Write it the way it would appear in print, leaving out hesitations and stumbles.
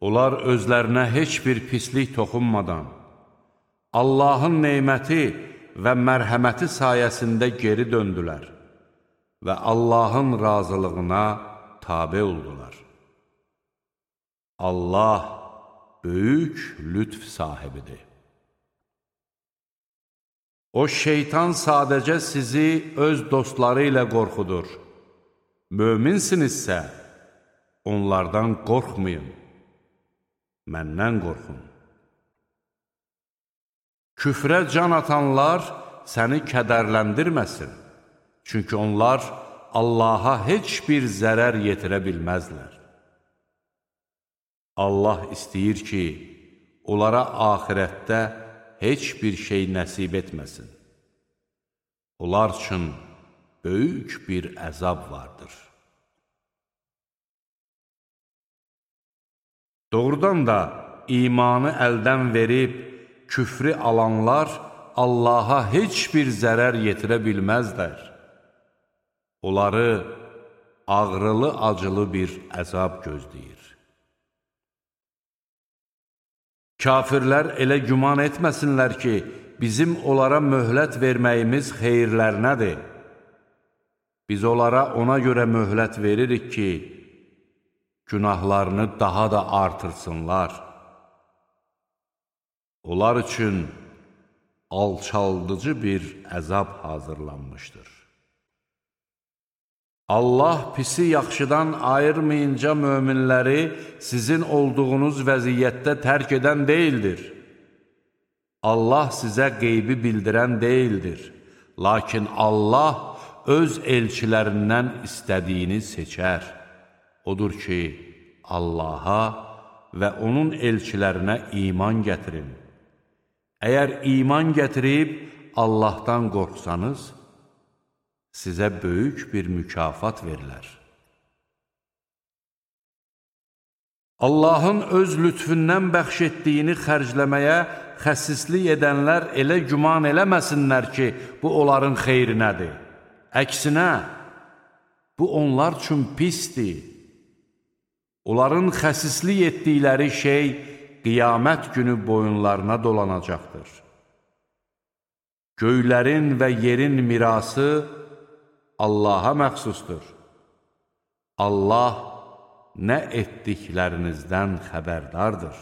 Onlar özlərinə heç bir pislik toxunmadan, Allahın neyməti və mərhəməti sayəsində geri döndülər və Allahın razılığına tabe oldular. Allah böyük lütf sahibidir. O şeytan sadəcə sizi öz dostları ilə qorxudur. Möminsinizsə, onlardan qorxmayın, məndən qorxun. Küfrə can atanlar səni kədərləndirməsin, çünki onlar Allaha heç bir zərər yetirə bilməzlər. Allah istəyir ki, onlara axirətdə heç bir şey nəsib etməsin. Onlar üçün böyük bir əzab vardır. Doğrudan da imanı əldən verib, küfrü alanlar Allaha heç bir zərər yetirə bilməzlər. Onları ağrılı-acılı bir əzab gözləyir. Kafirlər elə güman etməsinlər ki, bizim onlara möhlət verməyimiz xeyirlərinədir. Biz onlara ona görə möhlət veririk ki, günahlarını daha da artırsınlar. Onlar üçün alçaldıcı bir əzab hazırlanmışdır. Allah pisi yaxşıdan ayırmayınca möminləri sizin olduğunuz vəziyyətdə tərk edən deyildir. Allah sizə qeybi bildirən deyildir. Lakin Allah öz elçilərindən istədiyini seçər. Odur ki, Allaha və onun elçilərinə iman gətirin. Əgər iman gətirib Allahdan qorxsanız, sizə böyük bir mükafat verilər. Allahın öz lütfündən bəxş etdiyini xərcləməyə xəsislik edənlər elə güman eləməsinlər ki, bu onların xeyrinədir. Əksinə, bu onlar üçün pisdir. Onların xəsislik etdikləri şey qiyamət günü boyunlarına dolanacaqdır. Göylərin və yerin mirası Allaha məxsusdur. Allah nə etdiklərinizdən xəbərdardır.